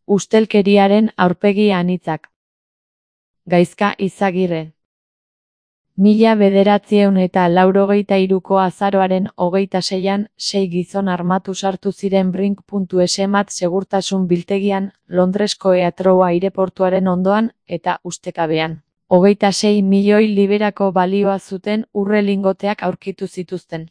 Ustelkeriaren aurpegi anitzak. Gaizka Izagirre. 1983ko azaroaren 26an, 6 gizon armatu sartu ziren Brink.mat segurtasun biltegian, Londresko Heathrow aireportuaren ondoan, eta ustekabean. 26 milioi liberako balioa zuten urre lingoteak aurkitu zituzten.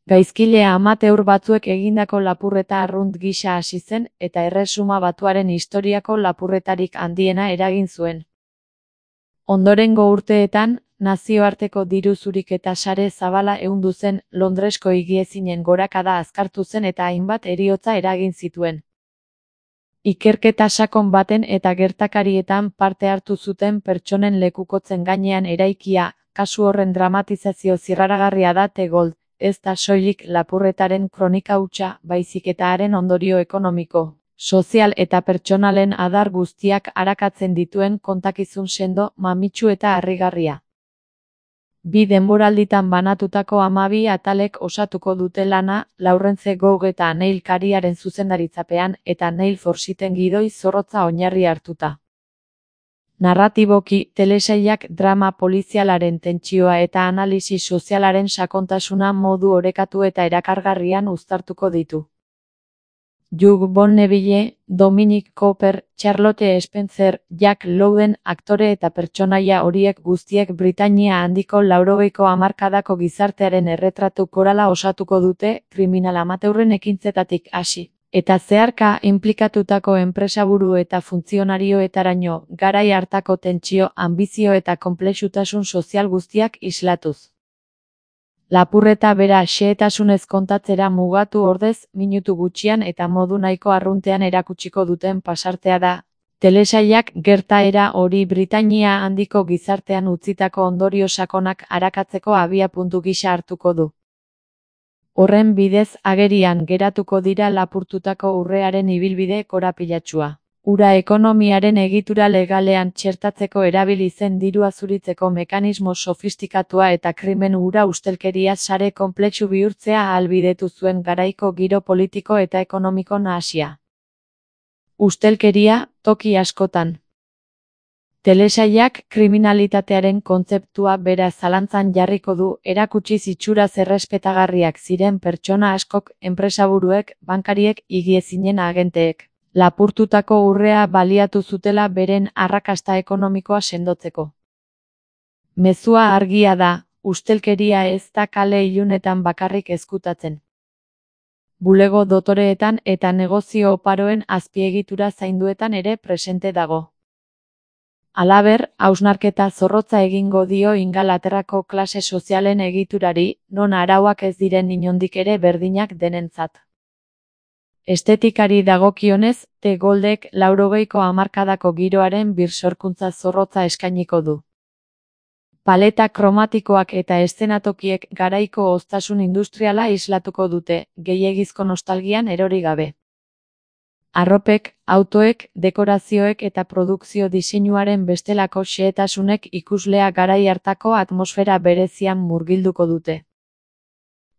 Gaizkilea amateur batzuek egindako lapurreta arrunt gisa hasi zen, eta Erresuma Batuaren historiako lapurretarik handiena eragin zuen. Ondorengo urteetan, nazioarteko diru zuriketa sare zabala ehundu zen, Londresko higiezinen gorakada azkartu zen eta hainbat heriotza eragin zituen. Ikerketa sakon baten eta gertakarietan parte hartu zuten pertsonen lekukotzen gainean eraikia, kasu horren dramatizazio zirraragarria da The Gold, ez da soilik lapurretaren kronika hutsa, baizik eta haren ondorio ekonomiko, sozial eta pertsonalen adar guztiak arakatzen dituen kontakizun sendo, mamitsu eta harrigarria. 2 denboralditan banatutako 12 atalek osatuko dute lana, Laurence Goug eta Neil Kariaren zuzendaritzapean, eta Neil Forsiten gidoi zorrotza oinarri hartuta. Narratiboki, telesailak drama polizialaren tentsioa eta analisi sozialaren sakontasuna modu orekatu eta erakargarrian uztartuko ditu. Hugh Bonneville, Dominic Cooper, Charlotte Spencer, Jack Lowden aktore eta pertsonaia horiek guztiek Britainia handiko 80ko hamarkadako gizartearen erretratu korala osatuko dute, kriminal amateurren ekintzetatik hasi, eta zeharka inplikatutako enpresaburu eta funtzionarioetaraino, garai hartako tentsio, anbizio eta konplexutasun sozial guztiak islatuz. Lapurreta bera xehetasunez kontatzera mugatu ordez, minutu gutxian eta modu nahiko arruntean erakutsiko duten pasartea da. Telesailak gertaera hori Britainia handiko gizartean utzitako ondorio sakonak arakatzeko abiapuntu gisa hartuko du. Horren bidez agerian geratuko dira lapurtutako urrearen ibilbide korapilatsua. Ura ekonomiaren egitura legalean txertatzeko erabili zen dirua zuritzeko mekanismo sofistikatua eta krimen hura ustelkeria sare konplexu bihurtzea ahalbidetu zuen garaiko giro politiko eta ekonomiko nahasia. Ustelkeria, toki askotan. Telesailak kriminalitatearen kontzeptua bera zalantzan jarriko du, erakutsiz itxuraz errespetagarriak ziren pertsona askok, enpresaburuek, bankariek, higiezinen agenteek. Lapurtutako urrea baliatu zutela beren arrakasta ekonomikoa sendotzeko. Mezua argia da, ustelkeria ez da kale ilunetan bakarrik ezkutatzen. Bulego dotoreetan eta negozio oparoen azpiegitura zainduetan ere presente dago. Halaber, hausnarketa zorrotza egingo dio Ingalaterrako klase sozialen egiturari, non arauak ez diren inondik ere berdinak denentzat. Estetikari dagokionez, The Goldek 80ko hamarkadako giroaren birsorkuntza zorrotza eskainiko du. Paleta kromatikoak eta eszenatokiek garaiko oztasun industriala islatuko dute, gehiegizko nostalgian erori gabe. Arropek, autoek, dekorazioek eta produkzio diseinuaren bestelako xehetasunek ikuslea garai hartako atmosfera berezian murgilduko dute.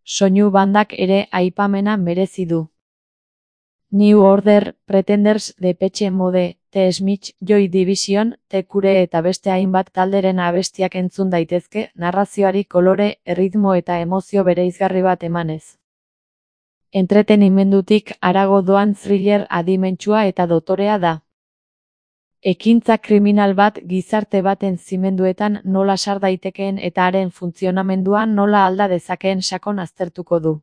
Soinu bandak ere aipamena merezi du. New Order, Pretenders, Depeche Mode, The Smiths, Joy Division, The Cure eta beste hainbat talderen abestiak entzun daitezke, narrazioari kolore, erritmo eta emozio bereizgarri bat emanez. Entretenimendutik harago doan thriller adimentsua eta dotorea da. Ekintza kriminal bat gizarte baten zimenduetan nola sar daitekeen eta haren funtzionamendua nola alda dezakeen sakon aztertuko du.